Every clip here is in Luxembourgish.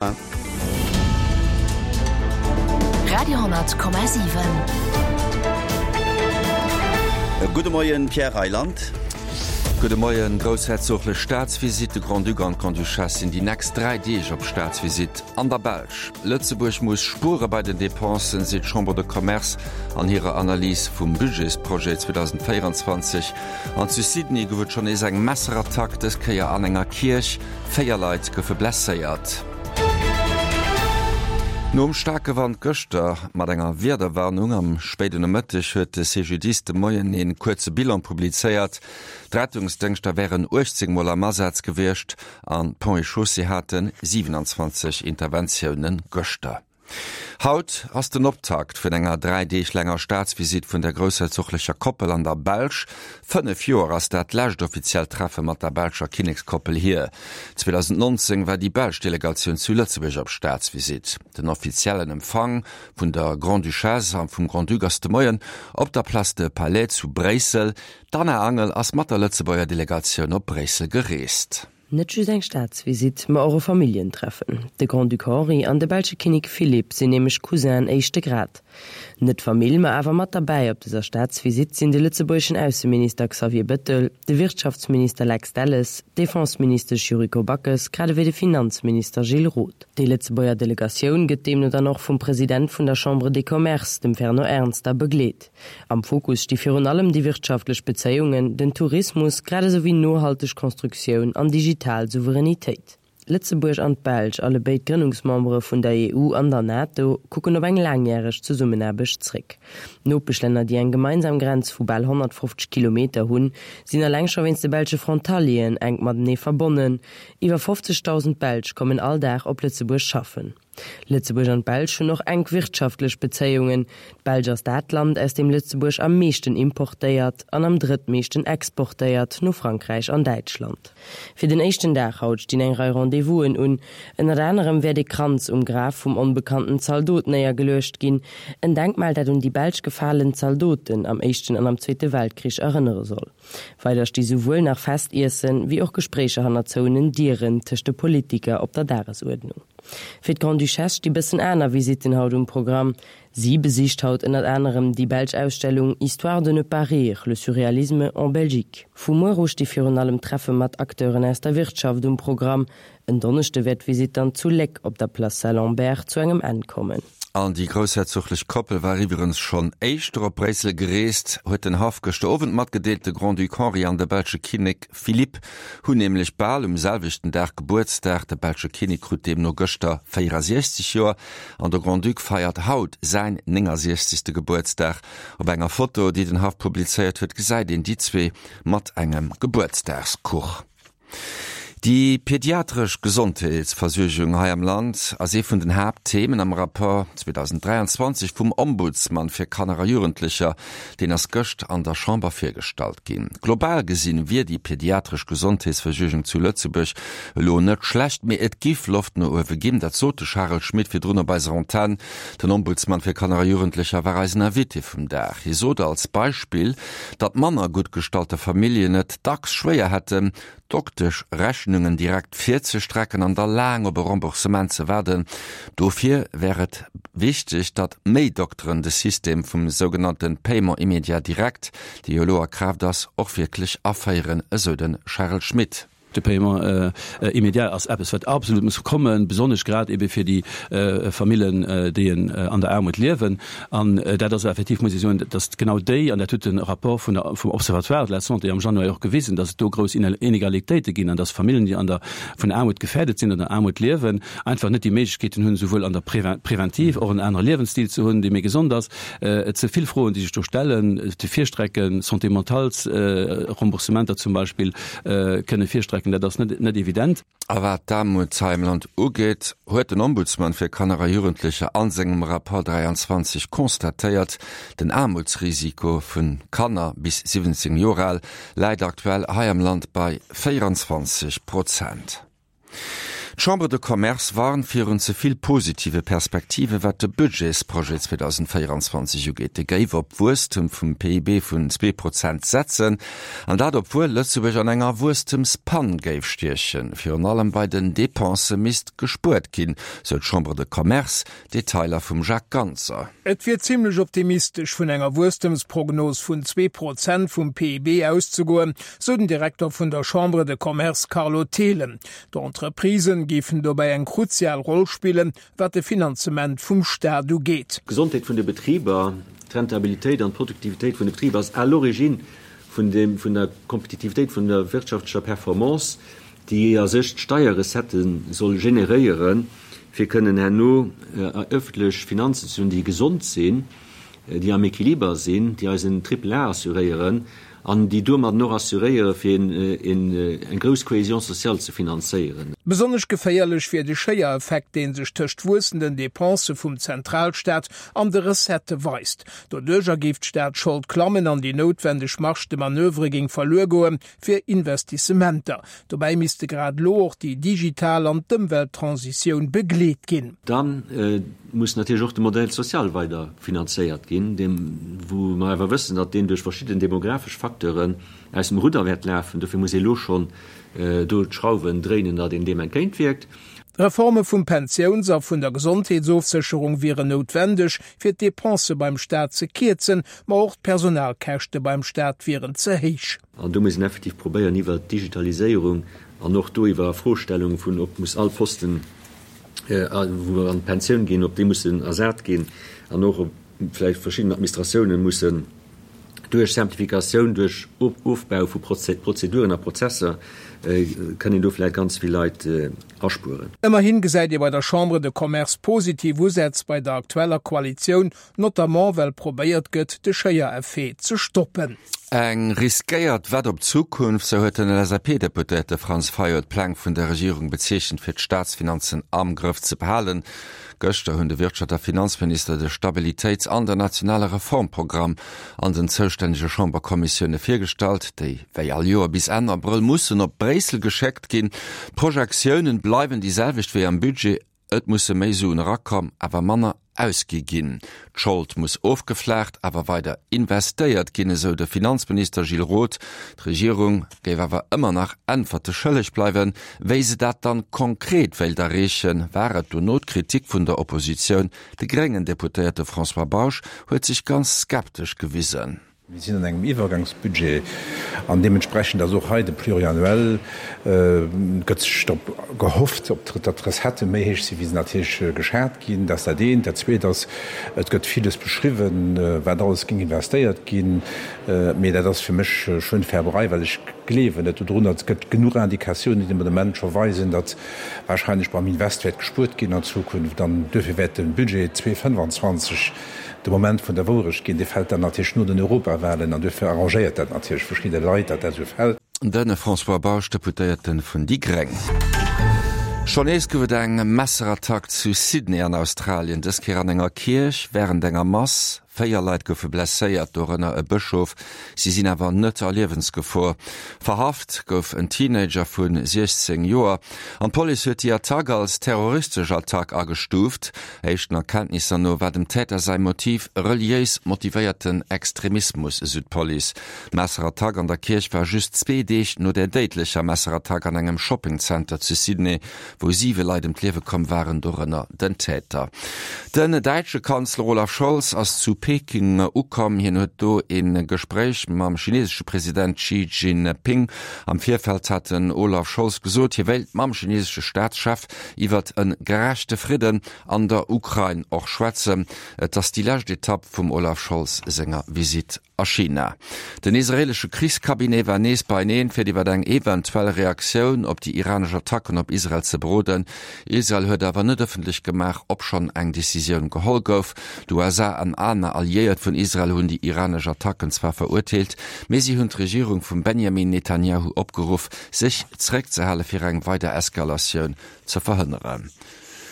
Radio,7. Gudde Moien, Pierre Reyland. Gudde Moien. Groussherzoglech Staatsvisitt, De Grand-Duc an d'Grande-Duchesse sinn déi nächst 3 Deeg op Staatsvisitt an der Belsch. Lëtzebuerg muss spuere bei den Depensen, seet d'Chambre de Commerce an hirer Analys vum Budgetsprojet 2024. An zu Sydney gouf et schonn nees eng Messerattack, dës Kéier an enger Kierch. 4 Leit goufe blesséiert. Nom staarke Wand gëschter mat enger Wiederwarnung am spéiden Nomëtteg huet de CGDIS de Moien ee kuerze Bilan publizéiert. D'Rettungsdéngschter wären 18 Mol am Asaz gewiescht an d'Ponts et Chaussées hate 27 Interventioune gëschter. Haut ass den Optakt vun enger 3 Deeg laanger Staatsvisitt vun der groussherzoglecher Koppel an der Belsch. 5 Joer ass dat lescht offiziellt Treffe mat der belscher Kinnekskoppel hier. 2019 war déi belsch Delegatioun zu Lëtzebuerg op Staatsvisitt. Den offiziellen Empfang vun der Grande-Duchesse a vum Grand-Duc ass de Moien op der Place de Palais zu Bréissel. D'Anna Angel ass mat der Lëtzebuerger Delegatioun op Bréissel gereest. Net just eng Staatsvisitt, ma och e Familljentreffen. De Grand-Duc Henri an de belsche Kinnek Philippe sinn nämlech Cousinen éischte Grad. Net Famill, ma awer mat derbäi op dëser Staatsvisitt sinn de lëtzebuergeschen Ausseminister Xavier Bettel, de Wirtschaftsminister Lex Delles, d'Defenseministesch Yuriko Backes grad ewéi de Finanzminister Gilles Roth. Déi Lëtzebuerger Delegatioun gëtt deemno dann och vum President vun der Chambre des Commerces, dem Fernand Ernster, begleet. Am Fokus sti virun allem déi wirtschaftlech Bezéiungen, den Tourismus, grad esou wéi nohalteg Constructioun an digital Souveränitéit. Lëtzebuerg an d'Belsch, allebéid Grënnungsmembere vun der EU an der NATO, kucken op eng laangjäreg Zesummenaarbecht zréck. D'Nopeschlänner, déi eng gemeinsam Grenz vu bal 150 Kilometer hunn, sinn eleng scho wéinst de belsche Frontalieren enk matenee verbonnen. Iwwer 50.000 Belsch kommen all Dag op Lëtzebuerg schaffen. Lëtzebuerg an d'Belsch hunn och enk wirtschaftlech Bezéiungen. D'Belsch ass dat Land, aus deem Lëtzebuerg am meeschten importéiert an am drëttmeeschten exportéiert, no Frankräich an Däitschland. Fir den éischten Dag haut stinn eng Rei Rendez-vousen un. Ënnert anerem wäert ee Kranz um Graf vum onbekannten Zaldot néiergeluecht ginn, en Denkmal, dat un déi belsch gefalen Zaldoten am Éischten an am Zweete Weltkrich erënnere soll. Weider sti souwuel nach Festiessen, wéi och Gespréicher hanner zouenen Dieren tëscht de Politiker op der Dagesuerdnung. Fir d'Grande-Duchesse sti bëssen aner Visitten haut um Programm. Si besicht haut ënnert anerem déi belsch Ausstellung Histoire de ne pas rire, le surréalisme en Belgique. Vu muer u sti virun allem Treffe mat Acteuren aus der Wirtschaft um Programm. En Donneschde wäert d'Visitt dann zu Léck op der Place Saint-Lambert zu engem Enn kommen. An déi groussherzoglech Koppel war iwwerens schonn éischter op Bréissel gereest, huet den Haff gëschter Owend matgedeelt. De Grand-Duc Henri an de belsche Kinnek Philippe hunn nämlech bal um selwechten Dag Gebuertsdag. De belsche Kinnek krut deemno gëschter 64 Joer an de Grand-Duc feiert haut säin 69. Gebuertsdag. Op enger Foto, déi den Haff publizéiert huet, gesäit een déi zwee mat engem Gebuertsdagskuch. Déi pediatresch Gesondheetsversuergung hei am Land ass ee vun den Haaptthemen am Rapport 2023 vum Ombudsman fir Kanner a Jugendlecher. Deen ass gëscht an der Chamber virgestallt ginn. Global gesinn wier déi pediatresch Gesondheetsversuergung zu Lëtzebuerg elo net schlecht, mee et giff Loft no uewe ginn. Dat sot de Charel Schmit virdrun op eiser Antenn. Den Ombudsman fir Kanner a Jugendlecher war eisen Invité vum Dag. Hie sot als Beispill, datt manner gutt gestallte Familljen et dacks schwéier hätten, Dokteschrechnungen direkt virzestrecken an da laang op e Remboursement ze waarden. Dofir wär et wichteg, datt méi Dokteren de System vum sougenannte Paiement immédiat direct, dee jo elo a Kraaft ass, och wierklech aféieren, esou de Charel Schmit. De Paiement immédiat ass eppes, wat absolut muss kommen, besonnesch grad ebe fir déi Famillen, déi an der Aarmut liewen. An dat ass effektiv, muss ech soen, datt genau déi, an dat huet de Rapport vun der, vum Observatoire de la santé am Januar och gewisen, datt et do grouss Inegalitéite ginn an datt Famillen, déi an der, vun Aarmut gefährdet sinn oder an Aarmut liewen, einfach net déi Méiglechkeeten hunn, souwuel an der Preventiv och en anere Liewensstil ze hunn, dee méi gesond ass, Et si vill Froen, déi sech do stellen, ze virstrecken, Santé mentales Remboursementer zum Beispill kënne virstrecken, dat ass net evident. A wat d'Aarmut hei am Land ugeet, huet den Ombudsman fir Kanner a Jugendlecher a sengem Rapport 23 constatéiert, Den Aarmutsrisiko vu Kanner bis 17 Joer al läit aktuell hei am Land bei 24 Prozent. D'Chambre de Commerce warnt virun ze vill positive Perspektive wat de Budgetsprojet 2024 ugeet. Dee géif op Wuesstem vum PIB vun 2% setzen, an dat obwuel Lëtzebuerg an enger Wuesstemspann géif stiechen. Virun allem bei den Depensë misst gespuert ginn, sou d'Chambre de Commerce. Detailer vum Jacques Ganser. Et wier zimmlech optimistesch vun enger Wuesstemsprognos vun 2% vum PIB auszegoen, sou den Direkter vun der Chambre de Commerce Carlo Thelen. D'Entreprisen géifen dobäi eng kruzial Roll spillen, wat de Finanzement vum Staat ugeet. D'Gesondheet vun de Betriber, d'Rentabilitéit an d'Produktivitéit vun de Betriber ass à l'origine vun der Kompetitivitéit, vun der wirtschaftlecher Performance, déi a sech d'Steierrecettë soll generéieren, fir kënnen herno ëffentlech Finanzen ze hunn, déi gesond sinn, déi am Equiliber sinn, déi eis en Triple A assuréieren an déi domadden och assuréiere fir eng grouss Cohésion sociale ze finanzéieren. Besonnesch geféierlech wier de Schéiereffekt, dee sech tëscht wuessenden Depensë vum Zentralstaat an de Recettë weist. Doduercher géif d'Staatsschold klammen an déi noutwendeg Marge de manoeuvre géing verluer goen, fir Investissementer. Dobäi misste grad elo och déi digital an d'Ëmwelttransitioun begleet ginn. Da muss natierlech och de Modèle social weider finanzéiert ginn, deem wou mer awer wëssen, datt deen duerch verschidden demografesch Facteuren aus dem Rudder wäert lafen. Dofir muss ee elo schonn do d'Schrauwen dréinen, datt een deem entgéintwierkt. Reforme vum Pensiouns a vun der Gesondheetsofsécherung wieren noutwendeg, fir d'Depensë beim Staat ze kierzen, ma och d'Personalkäschte beim Staat wieren ze héich. An do muss een effektiv probéieren, iwwert d'Digitaliséierung an och do iwwer Froestellung vun, ob muss all Posten, wou mer an d'Pensioun ginn, ob déi mussen ersat ginn an och ob vläicht verschidden Administratiounen mussen duerch Simplificatioun, duerch Ofbau vu Prozeduren a Prozesser, kënn een do vläicht ganz vill Leit aspueren. Ëmmerhin gesäit ee bei der Chambre de Commerce positiv Usätz bei der aktueller Koalitioun, notamment well probéiert gëtt, de Schéiereffet ze stoppen. Eng riskéiert Wett op d'Zukunft, sou huet den LSAP-Deputéierte Franz Fayot d'Pläng vun der Regierung bezeechent, fir d'Staatsfinanzen am Grëff ze behalen. Gëschter hunn de Wirtschaft a Finanzminister de Stabilitéits an den nationale Reformprogramm an den zoustännege Chamberkommissioune virgestallt, déi wéi all Joer bis Enn Abrëll mussen op Bréissel geschéckt ginn. D'Projektiounen bleiwen déi selwecht wéi am Budget, Et musse méi Suen erakomm, awer manner ausgi ginn. D'Schold muss ofgeflaacht, awer weider investéiert ginn, esou de Finanzminister Gilles Roth. D'Regierung géif awer ëmmer nach Äntwerte schëlleg bleiwen. Wéi se dat dann konkret wéilt erreechen, war et dono d'Kritik vun der Oppositioun. De gréngen Deputéierte François Bausch huet sech ganz skeptesch gewisen. Mir sinn an engem Iwwergangsbudget an deementsprechend ass och hei de Pluriannuel, gëtt sech drop gehofft, datt d'Recettë méi héich sinn, wéi se natierlech geschat ginn. Dat ass dat eent. Dat zweet ass, et gëtt villes beschriwwen, wat alles géing investéiert ginn. Mee dat ass fir mech Schönfärberei, well ech gleewen net dodrun. Et gëtt genuch Indikatiounen, déi de Moment scho weisen, datt wahrscheinlech beim Invest wäert gespuert ginn an Zukunft. An duerfir wäert de Budget 2025 de Moment vun der Wourecht ginn, dee fält dann natierlech no den Europawahlen an duerfir arrangéiert dat natierlech verschidde Leit, datt dat esou fält. De François Bausch, Deputéierte vun déi Gréng. Schonn nees gouf et eng Messerattack zu Sydney an Australien, dës Kéier an enger Kierch wärend enger Mass. 4 Leit goufe blesséiert, dorënner e Bëschof. Si sinn awer net a Liewensgefor. Verhaft gouf en Teenager vu 16 Joer an d'Police huet déi Attack als terroristesch Attack agestuuft. Éischten Erkenntnisser no war dem Täter säi Motiv reliéis motivéierten Extremismus, esou d'Police. D'Messerattack an der Kierch war just zwee Deeg no der déidlecher Messerattack an engem Shoppingzenter zu Sydney, wou siwe Leit ëm d'Liewe komm waren, dorënner den Täter. Den däitsche Kanzler Olaf Scholz ass zu Peking ukomm. Hien huet do ee Gespréich mam chinesesche President Xi Jinping. Am Virfeld hat den Olaf Scholz gesot, hie wéilt mam chinesesche Staatschef iwwert e gerechte Fridden an der Ukrain och schwätzen. Et ass déi lescht Etapp vum Olaf Scholz senger Visitt a China. Den israeelesche Krichscabinet war nees beieneen, fir iwwer eng eventuell Reaktioun op déi iranesch Attacken op Israel ze beroden. Israel huet awer net ëffentlech gemaach, ob schonn eng Decisioun geholl gouf. D'USA an aner Alliéiert vun Israel hunn déi iranesch Attacken zwar verurteelt, mee si hunn d'Regierung vum Benjamin Netanjahu opgeruff, sech zeréckzehale fir eng weider Eskalatioun ze verhënneren.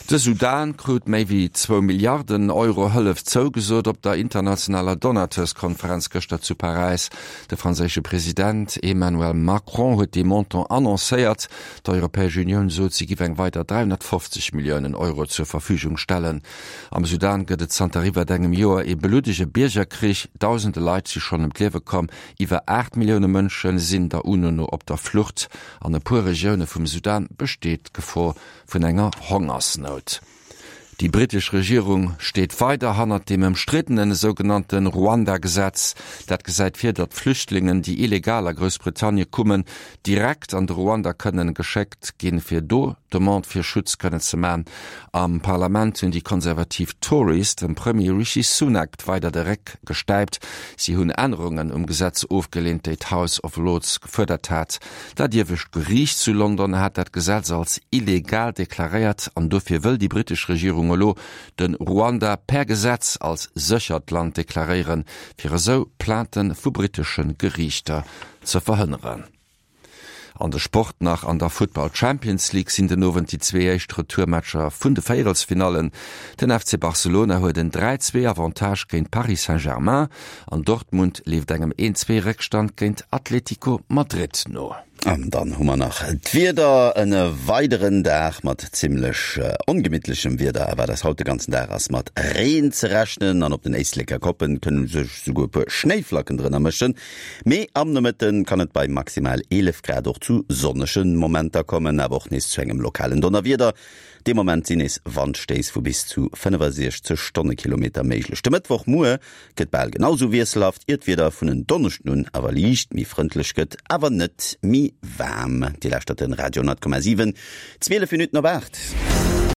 De Sudan krut méi wéi zwou Milliarden Euro Hëllef zougesot op der internationaler Donateurskonferenz gëschter zu Paräis. De franséische President Emmanuel Macron huet dee Montant annoncéiert. D'Europäesch Unioun sot, si giff eng weider 350 Milliounen Euro zur Verfügung stellen. Am Sudan gëtt et zanter iwwert engem Joer ee bluddege Biergerkrich. Dausende Leit si schonn ëm d'Liewe komm. Iwwer 8 Millioune Mënsche sinn der UNO no op der Flucht. An e puer Regioune vum Sudan besteet d'Gefor vun enger Hongersnout. Déi britesch Regierung steet weider hannert dem ëmstriddenen esougenannte Ruanda-Gesetz. Dat gesäit vir, datt Flüchtlingen, déi illegal a Groussbritannie kummen, direkt an de Ruanda kënnen geschéckt ginn, fir do Demande fir Schutz kënnen ze man. Am Parlament hunn déi konservativ Tories dem Premier Rishi Sunak weider de Réck gestäipt. Si hunn Ännerungen um Gesetz ofgeleent, déi d'House of Lords gefuerdert hat. Dat iewescht Geriicht zu London hat dat Gesetz als illegal deklaréiert an dofir wëll déi britesch Regierung elo de Ruanda per Gesetz als séchert Land deklaréieren, fir esou Plainte vu britesche Geriichter ze verhënneren. An de Sport nach, An der Futtball Champions League sinn den Owend déi zwee éischt Retourmatcher vun de Véierelsfinallen. Den FC Barcelona huet en 3, 2 Avantage géint Paris Saint-Germain An Dortmund leeft engem 1, 2 Réckstand géint Atletico Madrid no. An dann hu mer nach d'Wieder, En weideren Dag mat zimmlech ongemittlechem Wieder erwaart eis haut. De ganzen Dag ass mat Reen ze rechnen an op den Éisleker Koppen kënne sech esouguer e puer Schnéiflacken drënner mëschen. Mee am Nomëtte kann et bei maximal 11 Grad och zu sonnege Momenter kommen, awer och nees zu engem lokalen Donnerwieder. Dee Moment sinn nees Wandstéiss vu bis zu 65 Stonnekilometer méiglech. De Mëttwochmuer gëtt bal genau sou wiesselhaft, ier d'Wieder vun en Donneschden un awer liicht méi frëndlech gëtt, awer net méi waarm. Dir lauschtert den Radio 10,7, 12 Minutten op 8.